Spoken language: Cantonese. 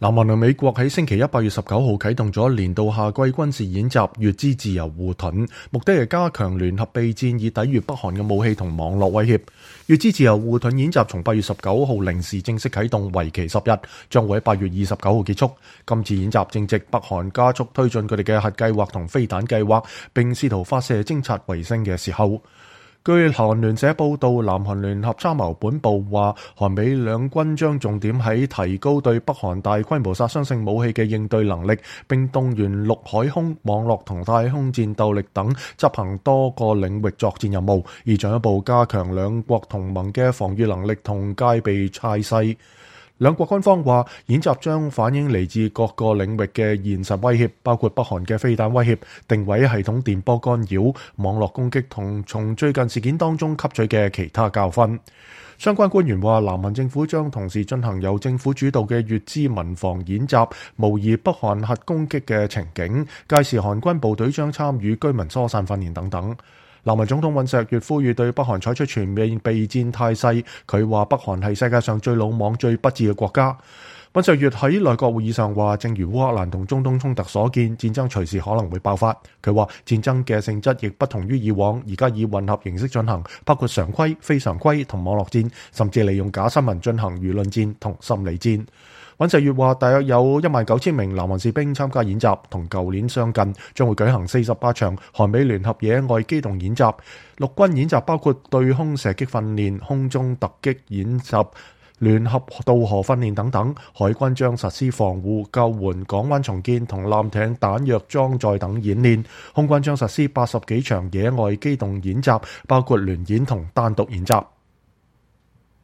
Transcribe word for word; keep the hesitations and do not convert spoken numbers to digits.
南韓同美國喺星期一八月十九號啟動咗年度夏季軍事演習乙支自由護盾，目的係加強聯合備戰，以抵禦北韓嘅武器同網絡威脅。乙支自由護盾演習從八月十九號零時正式啟動，為期十日，將會喺八月二十九號結束。今次演習正值北韓加速推進佢哋嘅核計劃同飛彈計劃，並試圖發射偵察衛星嘅時候。據韓聯社報道，南韓聯合參謀本部話，韓美兩軍將重點喺提高對北韓大規模殺傷性武器嘅應對能力，並動員陸海空、網絡同太空戰鬥力等執行多個領域作戰任務，以進一步加強兩國同盟嘅防禦能力同戒備態勢。兩國軍方話，演習將反映嚟自各個領域嘅現實威脅，包括北韓嘅飛彈威脅、定位系統電波干擾、網絡攻擊同從最近事件當中吸取嘅其他教訓。相關官員話，南韓政府將同時進行由政府主導嘅乙支民防演習，模擬北韓核攻擊嘅情景，屆時韓軍部隊將參與居民疏散訓練等等。南韓總統尹錫悅呼籲對北韓採取全面備戰態勢，佢話北韓係世界上最魯莽、最不智嘅國家。尹錫悅喺內閣會議上話，正如烏克蘭同中東衝突所見，戰爭隨時可能會爆發。佢話戰爭嘅性質亦不同於以往，而家以混合形式進行，包括常規、非常規同網絡戰，甚至利用假新聞進行輿論戰同心理戰。尹錫悅話，大約有一萬九千名南韓士兵參加演習，同舊年相近，將會舉行四十八場韓美聯合野外機動演習。陸軍演習包括對空射擊訓練、空中突擊演習、聯合渡河訓練等等。海軍將實施防護、救援、港灣重建同艦艇彈藥裝載等演練。空軍將實施八十幾場野外機動演習，包括聯演同單獨演習。